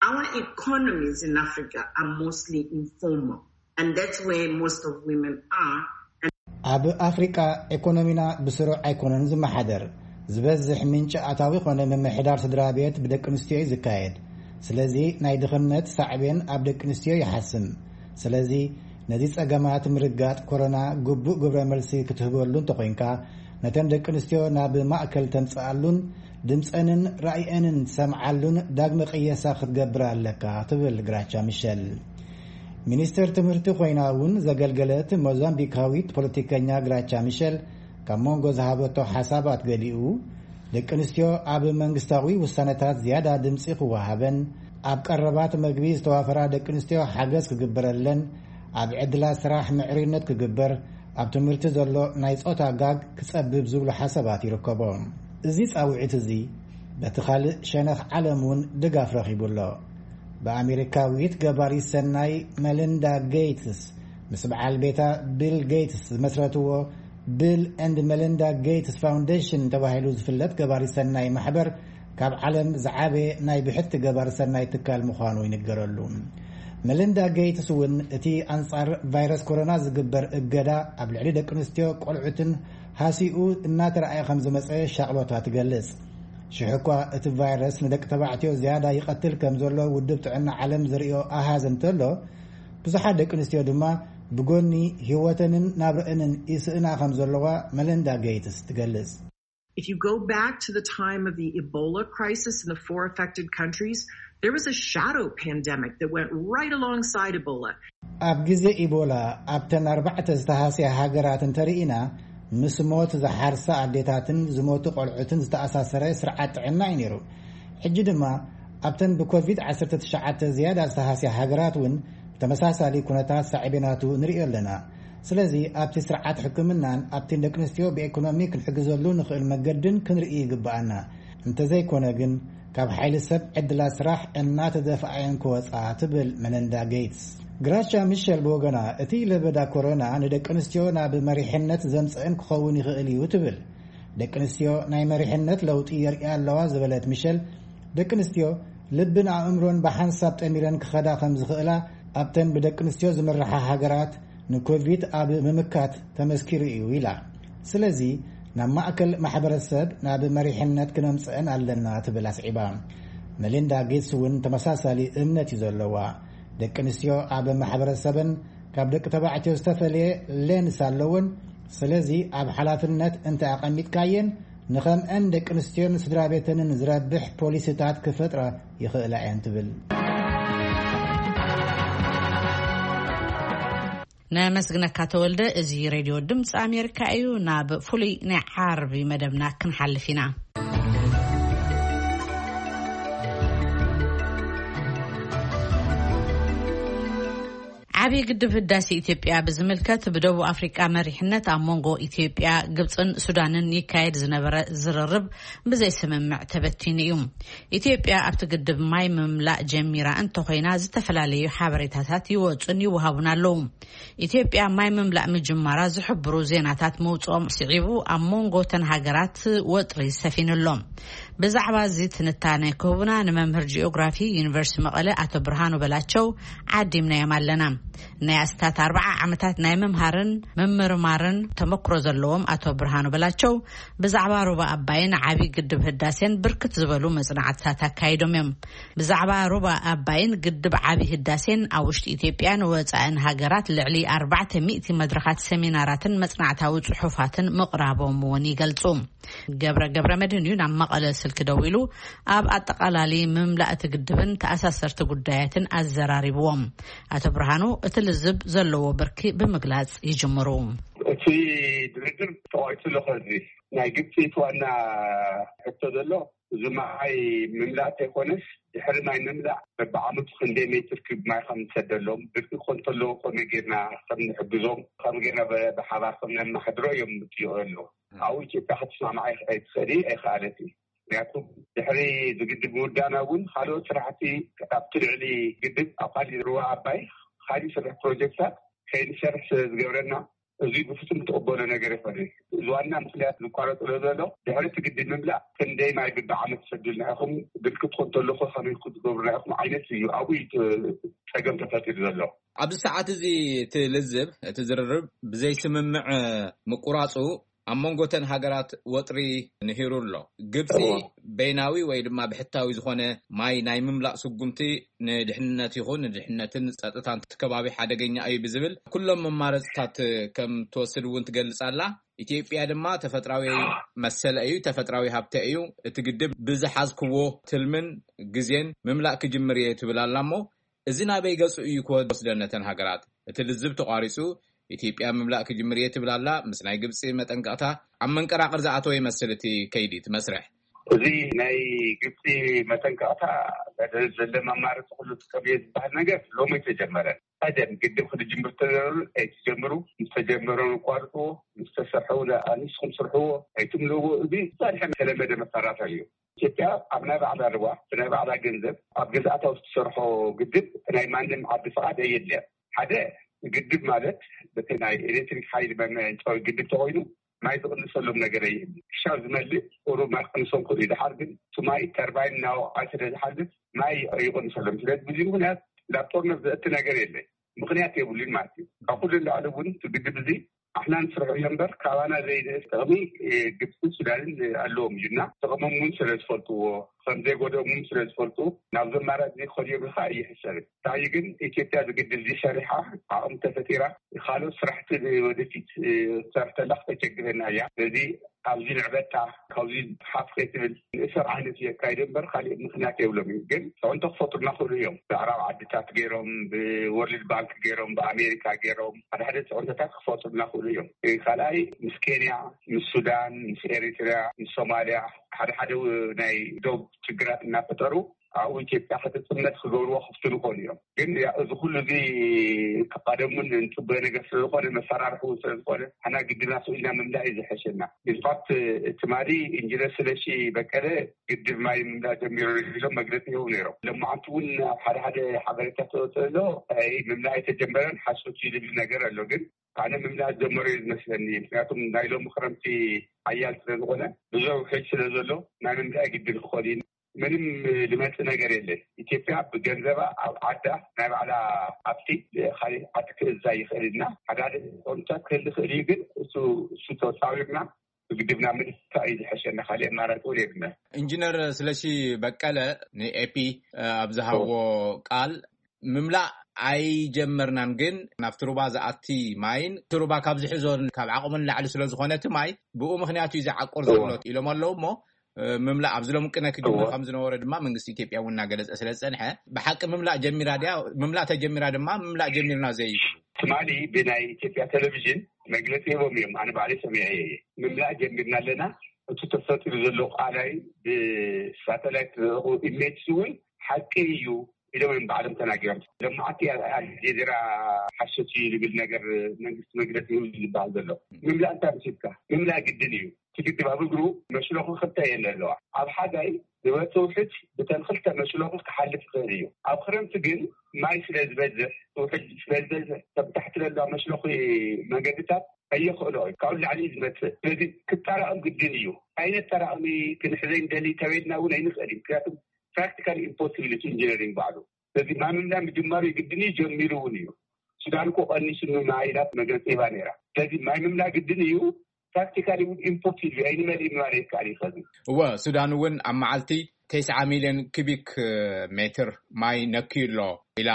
Our economies in Africa are mostly informal, and that's where most of women are. ኣብ ኣፍሪቃ፣ ኢኮኖሚና ብስሩዕ ኣይኮነን ዝመሓደር። ዝበዝሕ ምንጪ ኣታዊ ኮነ ምምሕዳር ስድራ ቤት ብደቂ ኣንስትዮ እዩ ዝካየድ። ስለዚ ናይ ድኽነት ሳዕቤን ኣብ ደቂ ኣንስትዮ ይሓስም። ስለዚ ነዚ ጸገማት ምርጋጥ ኮሮና ግቡእ ግብረ መልሲ ክትህበሉ እንተኾይንካ፣ ነተን ደቂ ኣንስትዮ ናብ ማእከል ተምጽኣሉን ድምጸንን ራእየንን ትሰምዓሉን ዳግመ ቅየሳ ክትገብር ኣለካ፣ ትብል ግራቻ ሚሸል። ሚኒስተር ትምህርቲ ኮይና እውን ዘገልገለት ሞዛምቢካዊት ፖለቲከኛ ግራቻ ሚሸል፣ ካብ መንጎ ዝሃበቶ ሓሳባት ገሊኡ፣ ደቂ ኣንስትዮ ኣብ መንግስታዊ ውሳነታት ዝያዳ ድምፂ ክወሃበን፣ ኣብ ቀረባት መግቢ ዝተዋፈራ ደቂ ኣንስትዮ ሓገዝ ክግበረለን፣ ኣብ ዕድላት ስራሕ ምዕሩይነት ክግበር፣ ኣብ ትምህርቲ ዘሎ ናይ ጾታ ጋግ ክጸብብ ዝብሉ ሓሳባት ይርከቦም። እዚ ጻውዒት እዚ በቲ ካልእ ሸነኽ ዓለም እውን ድጋፍ ረኺቡ ኣሎ። ብኣሜሪካዊት ገባሪት ሰናይ መሊንዳ ጌትስ ምስ በዓል ቤታ ቢል ጌትስ ዝመስረትዎ ቢል ኤንድ መሊንዳ ጌትስ ፋውንዴሽን ተባሂሉ ዝፍለጥ ገባሪት ሰናይ ማሕበር፣ ካብ ዓለም ዝዓበየ ናይ ብሕቲ ገባሪ ሰናይ ትካል ምዃኑ ይንገረሉ። መሊንዳ ጌትስ እውን እቲ ኣንጻር ቫይረስ ኮሮና ዝግበር እገዳ ኣብ ልዕሊ ደቂ ኣንስትዮ ቆልዑትን ሃሲኡ እናተረኣየ ከም ዝመጸ ሻቕሎታ ትገልጽ። ሽሕ እኳ እቲ ቫይረስ ንደቂ ተባዕትዮ ዝያዳ ይቐትል ከም ዘሎ ውድብ ጥዕና ዓለም ዝርእዮ ኣሃዝ እንተሎ፣ ብዙሓት ደቂ ኣንስትዮ ድማ ብጎኒ ህይወተንን ናብረአንን ይስእና ከም ዘለዋ መሊንዳ ጌትስ ትገልጽ። If you go back to the time of the Ebola crisis in the four affected countries, there was a shadow pandemic that went right alongside Ebola. ኣብ ግዜ ኢቦላ ኣብተን ኣርባዕተ ዝተሃስያ ሃገራት እንተርኢና፣ ምስ ሞት ዝሓርሳ ኣዴታትን ዝሞቱ ቆልዑትን ዝተኣሳሰረ ስርዓት ጥዕና እዩ ነይሩ። ሕጂ ድማ ኣብተን ብኮቪድ ዓሰርተ ትሽዓተ ዝያዳ ዝተሃስያ ሃገራት እውን ብተመሳሳሊ ኩነታት ሳዕቤናቱ ንርእዮ ኣለና። ስለዚ ኣብቲ ስርዓት ሕክምናን ኣብቲ ደቂ ኣንስትዮ ብኢኮኖሚ ክንሕግዘሉ ንኽእል መገድን ክንርኢ ይግብኣና። እንተዘይኮነ ግን ካብ ሓይሊ ሰብ ዕድላት ስራሕ እናተደፍኣየን ክወፃ ትብል መለንዳ ጌትስ። ግራቻ ሚሸል ብወገና እቲ ለበዳ ኮሮና ንደቂ ኣንስትዮ ናብ መሪሕነት ዘምፀአን ክኸውን ይኽእል እዩ ትብል። ደቂ ኣንስትዮ ናይ መሪሕነት ለውጢ የርእያ ኣለዋ ዝበለት ሚሸል፣ ደቂ ኣንስትዮ ልብን ኣእምሮን ብሓንሳብ ጠሚረን ክኸዳ ከም ዝኽእላ ኣብተን ብደቂ ኣንስትዮ ዝምርሓ ሃገራት ንኮቪድ ኣብ ምምካት ተመስኪሩ እዩ ኢላ። ስለዚ ናብ ማእከል ማሕበረሰብ ናብ መሪሕነት ክነምፀአን ኣለና ትብል ኣስዒባ። መሊንዳ ጌትስ እውን ተመሳሳሊ እምነት እዩ ዘለዋ። ደቂ ኣንስትዮ ኣብ ማሕበረሰበን ካብ ደቂ ተባዕትዮ ዝተፈለየ ሌንስ ኣለውን። ስለዚ ኣብ ሓላፍነት እንተ ኣቐሚጥካየን ንኸምአን ደቂ ኣንስትዮን ስድራ ቤተንን ዝረብሕ ፖሊሲታት ክፈጥራ ይኽእላ እየን ትብል። ነመስግነካ ተወልደ። እዚ ሬድዮ ድምፂ ኣሜሪካ እዩ። ናብ ፍሉይ ናይ ዓርቢ መደብና ክንሓልፍ ኢና። ዓብዪ ግድብ ህዳሴ ኢትዮጵያ ብዝምልከት ብደቡብ ኣፍሪቃ መሪሕነት ኣብ መንጎ ኢትዮጵያ፣ ግብፅን ሱዳንን ይካየድ ዝነበረ ዝርርብ ብዘይስምምዕ ተበቲኑ እዩ። ኢትዮጵያ ኣብቲ ግድብ ማይ ምምላእ ጀሚራ እንተኾይና ዝተፈላለዩ ሓበሬታታት ይወፁን ይወሃቡን ኣለዉ። ኢትዮጵያ ማይ ምምላእ ምጅማራ ዝሕብሩ ዜናታት ምውፅኦም ስዒቡ ኣብ መንጎ ተን ሃገራት ወጥሪ ሰፊኑ ኣሎ። ብዛዕባ እዚ ትንታነ ክህቡና ንመምህር ጂኦግራፊ ዩኒቨርሲቲ መቐለ ኣቶ ብርሃኑ በላቸው ዓዲምናዮም ኣለና። ናይ ኣስታት ኣርባዓ ዓመታት ናይ ምምሃርን ምምርማርን ተመክሮ ዘለዎም ኣቶ ብርሃኑ በላቸው ብዛዕባ ሩባ ኣባይን ዓቢ ግድብ ህዳሴን ብርክት ዝበሉ መጽናዕትታት ኣካይዶም እዮም። ብዛዕባ ሩባ ኣባይን ግድብ ዓቢ ህዳሴን ኣብ ውሽጢ ኢትዮጵያን ወጻእን ሃገራት ልዕሊ ኣርባዕተ ሚእቲ መድረኻት ሰሚናራትን መጽናዕታዊ ጽሑፋትን ምቕራቦም እውን ይገልጹ። ገብረ ገብረ መድህን እዩ ናብ መቐለ ስልኪ ደዊሉ ኣብ ኣጠቓላሊ ምምላእ እቲ ግድብን ተኣሳሰርቲ ጉዳያትን ኣዘራሪብዎም። ኣቶ ብርሃኑ እቲ ልዝብ ዘለዎ ብርኪ ብምግላጽ ይጅምሩ። እቲ ድርድር ተቋይጹ ኣሎ። ከዚ ናይ ግብፂ እቲ ዋና ሕቶ ዘሎ እዚ ማይ ምምላእ ተይኮነስ ድሕሪ ማይ ምምላእ በብዓመቱ ክንደይ ሜትር ክብ ማይ ከም ንሰደሎም፣ ድርቂ ኮን ተለዎ ከመይ ጌርና ከም ንሕግዞም፣ ከመይ ጌርና ብ- ብሓባር ከም ነማሕድሮ እዮም ዝጥይቑ ኣለዉ። ኣብኡ ኢትዮጵያ ክትስማማዕ ኣይትኽእል ኣይከኣለት እዩ። ምክንያቱ ድሕሪ ዝግድብ ምውዳና እውን ካልኦት ስራሕቲ ካብቲ ልዕሊ ግድብ ኣብ ካሊእ ሩባ ኣባይ ካሊእ ስራሕ ፕሮጀክታት ከይንሰርሕ ስለ ዝገብረና እዚ ብፍጹም ትቕበሎ ነገር ይኾነ። እዚ ዋና ምኽንያት ዝቋረጽ ዘሎ ድሕሪ እቲ ግድብ ምምላእ ክንደይ ማይ ብብዓመት ትሰዱልና ኢኹም፣ ድርቂ ትኾን ተለኹ ከመይ ክትገብሩና ኢኹም ዓይነት እዩ ኣብኡ እዩ እቲ ጸገም ተፈጢሩ ዘሎ። ኣብዚ ሰዓት እዚ እቲ ልዝብ፣ እቲ ዝርርብ ብዘይስምምዕ ምቁራጹ ኣብ መንጎተን ሃገራት ወጥሪ ንሂሩ ኣሎ። ግብጺ በይናዊ ወይ ድማ ብሕታዊ ዝኾነ ማይ ናይ ምምላእ ስጉምቲ ንድሕነት ይኹን ንድሕነትን ጸጥታን እቲ ከባቢ ሓደገኛ እዩ ብዝብል ኩሎም መማረጽታት ከም ትወስድ እውን ትገልጽ ኣላ። ኢትዮጵያ ድማ ተፈጥራዊ መሰለ እዩ፣ ተፈጥራዊ ሃብተ እዩ፣ እቲ ግድብ ብዝሓዝክዎ ትልምን ግዜን ምምላእ ክጅምር እየ ትብል ኣላ። እሞ እዚ ናበይ ገጹ እዩ ክወስደን ነተን ሃገራት? እቲ ልዝብ ተቋሪጹ፣ ኢትዮጵያ ምምላእ ክጅምር እየ ትብል ኣላ። ምስ ናይ ግብጺ መጠንቀቕታ ኣብ መንቀራቕር ዝኣተወ ይመስል እቲ ከይዲ፣ እቲ መስርሕ። እዚ ናይ ግብጺ መጠንቀቕታ፣ ዘሎ መማረፂ ኩሉ ጥቀም እየ ዝበሃል ነገር ሎሚ ኣይተጀመረን። ቀደም ግድብ ክትጅምር ተዘረሉ ኣይትጀምሩ፣ ምስ ተጀመረ ንቋርፅዎ፣ ምስ ተሰርሐ እውን ኣንስኩም ስርሕዎ ኣይትምልዎ። እዚ ዛድሐ ተለመደ መሳራታ እዩ። ኢትዮጵያ ኣብ ናይ ባዕላ ርዋ ብናይ ባዕላ ገንዘብ ኣብ ገዛእታ ውስጥ ትሰርሖ ግድብ ናይ ማንም ዓዲ ፍቓድ ኣየድልያን። ሓደ ግድብ ማለት በቲ ናይ ኤሌክትሪክ ሓይሊ መመንጨዊ ግድብ ተኮይኑ ማይ ዝቕንሰሎም ነገር ኣየድልያን። ክሻብ ዝመልእ ቁሩብ ማይ ክቕንሶም ክእሉ እዩ። ድሓር ግን እቲ ማይ ተርባይን እናወቕዐ ስለ ዝሓልፍ ማይ ይቕንሰሎም። ስለዚ ብዙ ምክንያት ናብ ጦርነት ዘእቲ ነገር የለን። ምክንያት የብሉን ማለት እዩ። ካብ ኩሉ ንላዕሊ እውን እቲ ግድብ እዚ ኣሕና ንስርሖ እዮ እምበር ካባና ዘይንእስ ጥቕሚ ግብፅን ሱዳንን ኣለዎም እዩ እና ጥቕሞም እውን ስለ ዝፈልጥዎ ከም ዘይጎደኦም እውን ስለ ዝፈልጡ ናብዚ ኣማራፂ ክኸዱ እዮም ኢልካ ኣይሕሰብን። እንታይ ግን ኢትዮጵያ ዝግድል እዚ ሰሪሓ ዓቕሚ ተፈጢራ ካልኦት ስራሕቲ ወደፊት ትሰርሕ ተላ ክተቸግረና እያ። ስለዚ ኣብዚ ንዕበታ ካብዚ ሓፍ ከይትብል ንእሰር ዓይነት እዩ ኣካይደ እምበር ካሊእ ምክንያት የብሎም እዩ። ግን ፅዕንቶ ክፈጥሩና ክእሉ እዮም። ብኣዕራብ ዓድታት ገይሮም ብወርልድ ባንክ ገይሮም ብኣሜሪካ ገይሮም ሓደ ሓደ ፅዕንቶታት ክፈጥሩና ክእሉ እዮም። ካልኣይ ምስ ኬንያ፣ ምስ ሱዳን፣ ምስ ኤሪትሪያ፣ ምስ ሶማሊያ ሓደ ሓደ ናይ ዶብ ችግራት እናፈጠሩ ኣብኡ ኢትዮጵያ ክትፅመት ክገብርዎ ክፍትኑ ይኾኑ እዮም። ግን እዚ ኩሉ እዚ ቀደሙን እንፅበዮ ነገር ስለዝኾነ መፈራርሒ እውን ስለዝኾነ ሓና ግድና ስኢልና ምምላእ እዩ ዝሐሸና። ኢንፋክት ትማሊ ኢንጂነር ስለሺ በቀለ ግድብ ማይ ምምላእ ጀሚሩ ኢሎም መግለፂ ይህቡ ነይሮም። ለማዓንቲ እውን ኣብ ሓደ ሓደ ሓበሬታ ተወፅእ ኣሎ ምምላእ ኣይተጀመረን ሓሶት እዩ ዝብል ነገር ኣሎ። ግን ኣነ ምምላእ ዝጀመሩ እዩ ዝመስለኒ። ምክንያቱም ናይ ሎሚ ክረምቲ ሓያል ስለዝኾነ ብዙሕ ውሕጅ ስለዘሎ ናይ ምምላእ ግድን ክኾን እዩ። ምንም ዝመፅእ ነገር የለን። ኢትዮጵያ ብገንዘባ ኣብ ዓዳ ናይ ባዕላ ሃብቲ ካሊእ ዓዲ ክእዛ ይኽእል እና ሓደ ሓደ ቁንጫት ክህል ይኽእል እዩ። ግን እሱ እሱ ተፃዊርና ብግድብና ምድፋእ እዩ ዝሐሸና። ካሊእ ኣማራፂ እውን የብልና። ኢንጂነር ስለሺ በቀለ ንኤፒ ኣብ ዝሃቦ ቃል ምምላእ ኣይጀመርናን፣ ግን ናብቲ ሩባ ዝኣቲ ማይን እቲ ሩባ ካብ ዝሕዞን ካብ ዓቕሙን ላዕሊ ስለ ዝኾነ እቲ ማይ ብኡ ምክንያት እዩ ዝዓቁር ዘሎ ኢሎም ኣለዉ። እሞ ምምላእ ኣብዚ ሎም ቅነ ክጅምር ከም ዝነበረ ድማ መንግስቲ ኢትዮጵያ እውን እናገለጸ ስለ ዝጸንሐ ብሓቂ ምምላእ ጀሚራ ድያ? ምምላእ ተጀሚራ ድማ ምምላእ ጀሚርና ዘይብሉ ትማሊ ብናይ ኢትዮጵያ ቴሌቪዥን መግለፂ ሂቦም እዮም። ኣነ ባዕለይ ሰሚዐ እየ። ምምላእ ጀሚርና ኣለና። እቲ ተፈጢሩ ዘሎ ቃላይ ብሳተላይት ዝረኹ ኢሜጅ እውን ሓቂ እዩ ኢሎም እዮም ባዕሎም ተናጊሮም። ለማዓቲ ኣልጀዚራ ሓሶት እዩ ዝብል ነገር መንግስቲ መግለፂ ይህብ ዝበሃል ዘሎ ምምላእ እንታይ ምሲልካ? ምምላእ ግድን እዩ። እቲ ግድብ ኣብ እግሩ መሽሎኺ ክልተ የለ ኣለዋ። ኣብ ሓጋይ ዝበፅእ ውሕጅ ብተን ክልተ መሽሎኺ ክሓልፍ ይኽእል እዩ። ኣብ ክረምቲ ግን ማይ ስለ ዝበዝሕ ውሕጅ ስለ ዝበዝሕ ተብታሕቲ ዘለዋ መሽሎኺ መንገድታት ኣየኽእሎ እዩ። ካብኡ ላዕሊ እዩ ዝመፅእ። ስለዚ ክጠራቐም ግድን እዩ። ኣይነት ጠራቕሚ ክንሕዘ እንደሊ ተበልና እውን ኣይንኽእል እዩ። ምክንያቱም ፕራክቲካል ኢምፖሲቢሊቲ ኢንጂነሪንግ ባዕሉ። ስለዚ ማይ ምምላእ ምጅማሩ ግድን እዩ፣ ጀሚሩ እውን እዩ። ሱዳን እኮ ቀኒሱ ማይ ኢላት መግለፂ ሂባ ነይራ። ስለዚ ማይ ምምላእ ግድን እዩ። ፕራክቲካሊ እውን ኢምፖሲብል እዩ። ኣይንመልእ ምባል ይከኣል እዩ። ከዚ እወ፣ ሱዳን እውን ኣብ መዓልቲ ተስዓ ሚልዮን ኪቢክ ሜትር ማይ ነክዩ ኣሎ ኢላ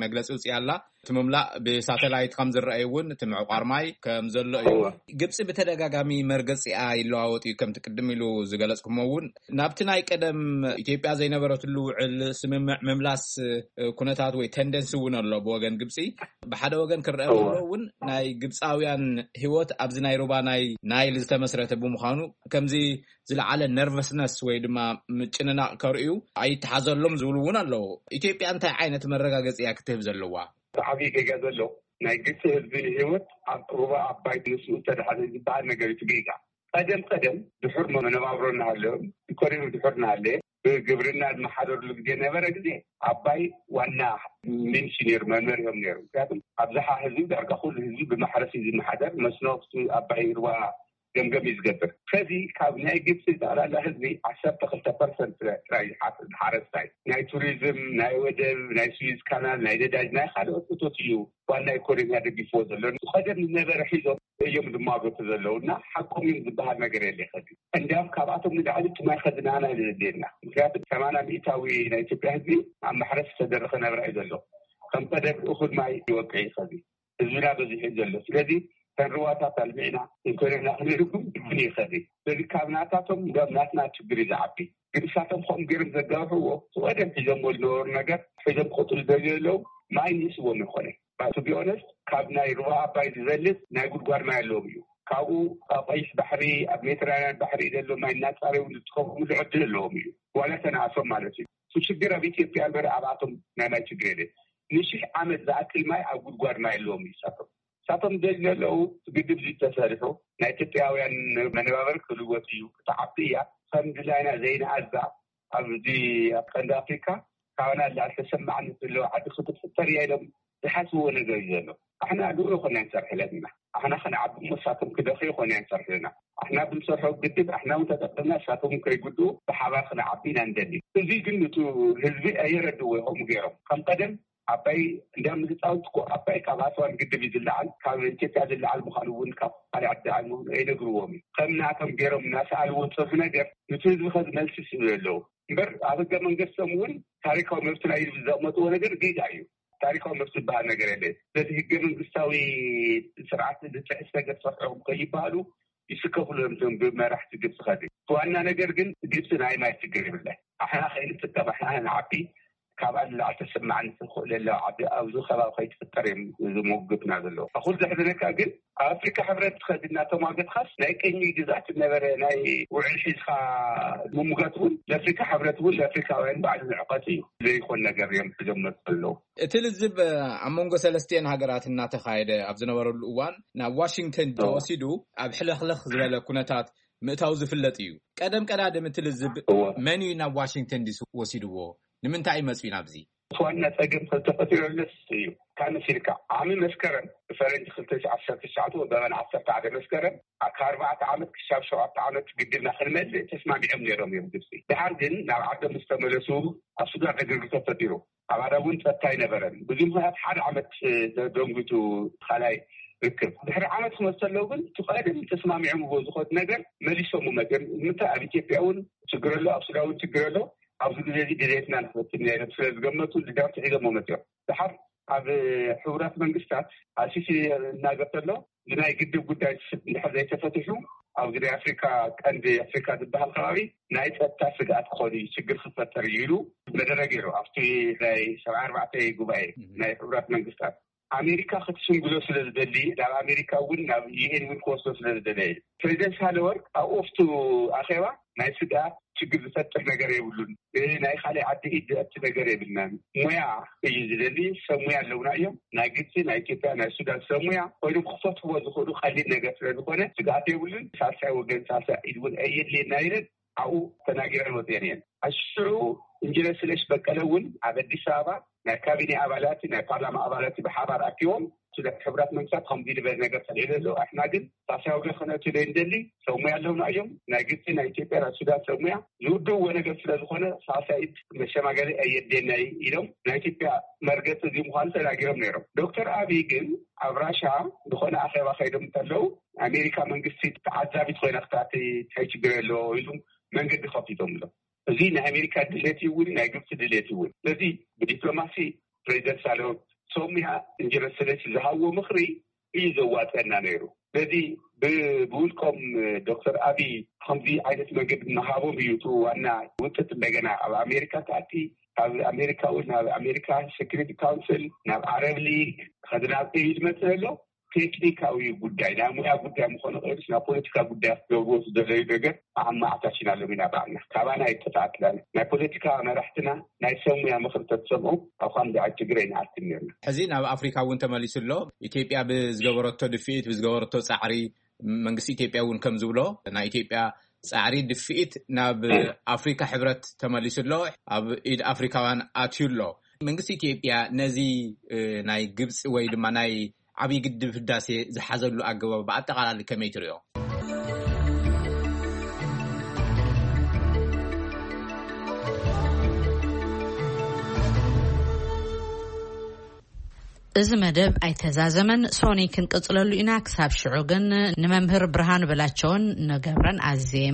መግለፂ ውፅእ ኣላ። እቲ ምምላእ ብሳተላይት ከም ዝረኣዩ እውን እቲ ምዕቋር ማይ ከም ዘሎ እዩ። ግብፂ ብተደጋጋሚ መርገፂኣ ይለዋወጥ እዩ። ከምቲ ቅድም ኢሉ ዝገለፅኩሞ እውን ናብቲ ናይ ቀደም ኢትዮጵያ ዘይነበረትሉ ውዕል ስምምዕ ምምላስ ኩነታት ወይ ተንደንሲ እውን ኣሎ። ብወገን ግብፂ ብሓደ ወገን ክረአ ከሎ እውን ናይ ግብፃውያን ህይወት ኣብዚ ናይ ሩባ ናይ ናይል ዝተመስረተ ብምዃኑ ከምዚ ዝለዓለ ነርቨስነስ ወይ ድማ ምጭንናቕ ከርእዩ ኣይተሓዘሎም ዝብሉ እውን ኣለዉ። ኢትዮጵያ እንታይ ዓይነት መረጋገፂ እያ ክትህብ ዘለዋ? ዓብዪ ጌጋ ዘሎ ናይ ግብፂ ህዝቢ ህይወት ኣብ ሩባ ኣባይ ንስኡ ዝተዳሓዘ ዝበሃል ነገር እዩ። ጌጋ ቀደም ቀደም ድሑር መነባብሮ እናሃለዮም ኢኮኖሚ ድሑር እናሃለየ ብግብርና ዝመሓደርሉ ግዜ ነበረ። ግዜ ኣባይ ዋና ሚንስ ነይሩ፣ መመርዮም ነይሩ። ምክንያቱም ኣብዝሓ ህዝቢ፣ ዳርጋ ኩሉ ህዝቢ ብማሕረስ እዩ ዝመሓደር። መስኖ ኣብቲ ኣባይ ሩባ ገምገም እዩ ዝገብር። ከዚ ካብ ናይ ግብፂ ጠቕላላ ህዝቢ ዓሰርተ ክልተ ፐርሰንት ጥራይ ዝሓ- ዝሓረስታይ፣ ናይ ቱሪዝም፣ ናይ ወደብ፣ ናይ ስዊዝ ካናል፣ ናይ ነዳጅ፣ ናይ ካልኦት እቶት እዩ ዋና ኢኮኖሚ ደጊፍዎ ዘሎ። ቀደም ዝነበረ ሒዞም እዮም ዝማገቱ ዘለዉ እና ሓቆም እዮም ዝበሃል ነገር የለ። ከዚ እንዲያም ካብኣቶም ንላዕሊ እቲ ማይ ከዚ ንዓና እዩ ዘድልየና። ምክንያቱ ሰማንያ ሚእታዊ ናይ ኢትዮጵያ ህዝቢ ኣብ ማሕረስ ዝተደረኸ ናብራ እዩ ዘሎ። ከም ቀደም እኹል ማይ ይወቅዕ እዩ ከዚ ህዝብና በዚሑ እዩ ዘሎ። ስለዚ ተን ሩባታት ኣልሚዕና ኢኮኖሚና ክንህልኩም ግድን እዩ ከዚ። ስለዚ ካብ ናታቶም እንዲያም ናትና ችግር እዩ ዝዓቢ። ግን እሳቶም ከምኡ ገይሮም ዘጋውሕዎ፣ እቲ ቀደም ሒዞምዎ ዝነበሩ ነገር ሒዞም ክቕፅሉ ደልዩ ዘለዉ ማይ ንእስዎም ይኾነ። ቱ ቢ ኦነስት፣ ካብ ናይ ሩባ ኣባይ ዝበልፅ ናይ ጉድጓድ ማይ ኣለዎም እዩ። ካብኡ ኣብ ቀይሕ ባሕሪ፣ ኣብ ሜዲትራንያን ባሕሪ ዘሎ ማይ እናፃረዩ ዝጥቀምሉ ዕድል ኣለዎም እዩ። ዋላ ተነኣሶም ማለት እዩ። እቲ ሽግር ኣብ ኢትዮጵያ እምበር ኣብኣቶም ናይ ማይ ችግር የለን። ንሽሕ ዓመት ዝኣክል ማይ ኣብ ጉድጓድ ማይ ኣለዎም እዩ እሳቶም። እሳቶም ደልዩ ዘለዉ፣ እቲ ግድብ እዚ ተሰሪሑ ናይ ኢትዮጵያውያን መነባበሪ ክልወጥ እዩ፣ ክትዓቢ እያ፣ ከም ድላይና ዘይንኣዛ ኣብዚ ኣብ ቀንዲ ኣፍሪካ ካባና ላዕሊ ተሰማዕነት ዘለዎ ዓዲ ክትፍጠር እያ ኢሎም ዝሓስብዎ ነገር እዩ ዘሎ። ኣሕና ንኡ ይኮና ንሰርሕለን ኢና። ኣሕና ክንዓቢ እሞ እሳቶም ክደኺ ይኮና ንሰርሕልና። ኣሕና ብንሰርሖ ግድብ ኣሕና እውን ተጠቅምና እሳቶም እውን ከይጉድኡ ብሓባር ክንዓቢ ኢና ንደሊ። እዚ ግን ንቱ ህዝቢ ኣየረድዎ ይኸሙ ገይሮም ከም ቀደም ኣባይ እንዲያም ህፃውንቲ እኮ ኣባይ ካብ ኣስዋን ግድብ እዩ ዝለዓል፣ ካብ ኢትዮጵያ ዝለዓል ምዃኑ እውን ካብ ካልእ ዓዲ ዝለዓል ምዃኑ ኣይነግርዎም እዩ። ከም ናቶም ገይሮም እናሰኣልዎ ዝፀንሑ ነገር ንቲ ህዝቢ ከዚ መልሲ ስሉ ኣለዉ እምበር ኣብ ህገ መንግስቶም እውን ታሪካዊ መብትና እዩ ዘቕመጥዎ ነገር ጌጋ እዩ። ታሪካዊ መብት ዝበሃል ነገር የለ። ስለዚ ህገ መንግስታዊ ስርዓት ዝጥሕስ ነገር ሰርሖም ከይበሃሉ ይስከፍሉ እዮም እቶም ብመራሕቲ ግብፂ ከዚ። ዋና ነገር ግን ግብፂ ናይ ማይ ችግር የብላ። ኣሕና ከይንጥቀም ኣሕና ንዓቢ ካብኣ ንላዕሊ ተሰማዕነት ዝኽእለላ ዓዲ ኣብዚ ከባቢ ከይትፍጠር እዮም ዝሞግትና ዘለዉ። ኣኹል ዘሕዝነካ ግን ኣብ ኣፍሪካ ሕብረት ከድና ተሟገትካስ ናይ ቅኝ ግዛት ነበረ ናይ ውዕል ሒዝካ ምሙጋት እውን ለኣፍሪካ ሕብረት እውን ለኣፍሪካውያን ባዕሉ ንዕቀት እዩ። ዘይኮን ነገር እዮም ሒዞም መፁ ኣለዉ። እቲ ልዝብ ኣብ መንጎ ሰለስቲኤን ሃገራት እናተኻየደ ኣብ ዝነበረሉ እዋን ናብ ዋሽንግተን ተወሲዱ ኣብ ሕልኽልኽ ዝበለ ኩነታት ምእታው ዝፍለጥ እዩ። ቀደም ቀዳድም እቲ ልዝብ እወ። መን እዩ ናብ ዋሽንግተን ዲሲ ወሲድዎ? ንምንታይ እዩ መፅኡ ናብዚ? እቲ ዋና ፀገም ከዝተፈጢረለስ እዩ። ካብ መሲልካ ዓሚ መስከረም ብፈረንጂ ክልተ ሺሕ ዓሰርተ ትሽዓተ ወበበን ዓሰርተ ሓደ መስከረም ካብ ኣርባዕተ ዓመት ክሻብ ሸውዓተ ዓመት ግድብና ክንመልእ ተስማሚዖም ነይሮም እዮም ግብፂ። ድሓር ግን ናብ ዓዶም ምስ ተመለሱ ኣብ ሱዳን ዕግርግር ተፈጢሩ። ኣብ ኣዳ እውን ፀጥታ ኣይነበረን። ብዙ ምክንያት ሓደ ዓመት ደንጉቱ ካልኣይ ርክብ ድሕሪ ዓመት ክመፅእ ኣለዉ ግን እቲ ቀደም ተስማሚዖምዎ ዝኾት ነገር መሊሶም መፅኦም። ንምንታይ ኣብ ኢትዮጵያ እውን ችግር ኣሎ፣ ኣብ ሱዳን እውን ችግር ኣሎ። ኣብዚ ግዜ እዚ ድሌትና ንክበትን ኢና ኢሎም ስለ ዝገመቱ ድሕርቲ ሒዞም መፅኦም። ድሓር ኣብ ሕቡራት መንግስታት ኣልሲሲ እናገር ተሎ ብናይ ግድብ ጉዳይ እንድሕር ዘይተፈትሑ ኣብዚ ናይ ኣፍሪካ ቀንዲ ኣፍሪካ ዝበሃል ከባቢ ናይ ፀጥታ ስግኣት ክኾኑ እዩ፣ ችግር ክፈጠር እዩ ኢሉ መደረ ገይሩ ኣብቲ ናይ ሰብዓ ኣርባዕተ ጉባኤ ናይ ሕቡራት መንግስታት። ኣሜሪካ ክትሽምግሎ ስለ ዝደሊ ናብ ኣሜሪካ እውን ናብ ዩኤን እውን ክወስዶ ስለ ዝደለ እዩ። ፕሬዚደንት ሳህለወርቅ ኣብ ኦፍቱ ኣኼባ ናይ ስግኣት ችግር ዝፈጥር ነገር የብሉን። ናይ ካልእ ዓዲ ኢድ ዘእቲ ነገር የብልናን። ሙያ እዩ ዝደሊ። ሰብ ሙያ ኣለውና እዮም። ናይ ግብፂ፣ ናይ ኢትዮጵያ፣ ናይ ሱዳን ሰብ ሙያ ኮይኖም ክፈትዎ ዝኽእሉ ቀሊል ነገር ስለ ዝኾነ ስግኣት የብሉን። ሳልሳይ ወገን ሳልሳይ ኢድ እውን ኣየድልየና ኢለን ኣብኡ ተናጊረን ወፅየን እየን። ኣሽዑ ኢንጂነር ስለሽ በቀለ እውን ኣብ ኣዲስ ኣበባ ናይ ካቢኔ ኣባላት ናይ ፓርላማ ኣባላት ብሓባር ኣኪቦም ስለ ሕቡራት መንግስታት ከምዚ ዝበለ ነገር ፀሊዑ ዘሎ ኣሕና ግን ሳልሳይ ወገን ክነእትዮ ዘይንደሊ ሰብ ሙያ ኣለውና እዮም። ናይ ግብፂ ናይ ኢትዮጵያ ናይ ሱዳን ሰብ ሙያ ዝውድእዎ ነገር ስለ ዝኾነ ሳልሳይ ኢድ መሸማገሊ ኣየድልየና እዩ ኢሎም ናይ ኢትዮጵያ መርገፂ እዚ ምዃኑ ተናጊሮም ነይሮም። ዶክተር ኣብይ ግን ኣብ ራሻ ዝኾነ ኣኼባ ከይዶም እንተለዉ ኣሜሪካ መንግስቲ ተዓዛቢት ኮይና ክትኣቲ እንታይ ችግር ኣለዎ ኢሉ መንገዲ ከፊቶም ኣሎ። እዚ ናይ ኣሜሪካ ድሌት ይውን ናይ ግብፂ ድሌት ይውን ስለዚ ብዲፕሎማሲ ፕሬዚደንት ሳለወት ሶምያ እንጀረሰለች ዝሃብዎ ምኽሪ እዩ ዘዋፀና ነይሩ። ስለዚ ብውልቆም ዶክተር ኣብይ ከምዚ ዓይነት መንገዲ ምሃቦም እዩ እቲ ዋና ውጥት እንደገና ኣብ ኣሜሪካ ተኣቲ ካብ ኣሜሪካ እውን ናብ ኣሜሪካ ሴኩሪቲ ካውንስል ናብ ዓረብ ሊግ ከዚ ናብ ኢድ መፅእ ኣሎ። ቴክኒካዊ ጉዳይ ናይ ሙያ ጉዳይ ምኾነ ቀይሩስ ናብ ፖለቲካ ጉዳይ ክገብርዎ ዝደለዩ ነገር ኣማዕታሽና ሎም ኢና ባዕልና ካባና ኣይተተኣክላን ናይ ፖለቲካ መራሕትና ናይ ሰብ ሙያ ምኽሪ ተትሰምዑ ኣብ ከምዚ ዓዲ ትግራይ ንኣትም ነርና። ሕዚ ናብ ኣፍሪካ እውን ተመሊሱ ኣሎ። ኢትዮጵያ ብዝገበረቶ ድፍኢት ብዝገበረቶ ፃዕሪ መንግስቲ ኢትዮጵያ እውን ከም ዝብሎ ናይ ኢትዮጵያ ጻዕሪ ድፍኢት ናብ ኣፍሪካ ሕብረት ተመሊሱ ኣሎ። ኣብ ኢድ ኣፍሪካውያን ኣትዩ ኣሎ። መንግስቲ ኢትዮጵያ ነዚ ናይ ግብፂ ወይ ድማ ናይ ዓብዪ ግድብ ህዳሴ ዝሓዘሉ ኣገባብ ብኣጠቓላሊ ከመይ ትሪኦ? እዚ መደብ ኣይተዛዘመን፣ ሶኒ ክንቅጽለሉ ኢና። ክሳብ ሽዑ ግን ንመምህር ብርሃኑ በላቸውን ንገብረን ኣዝየ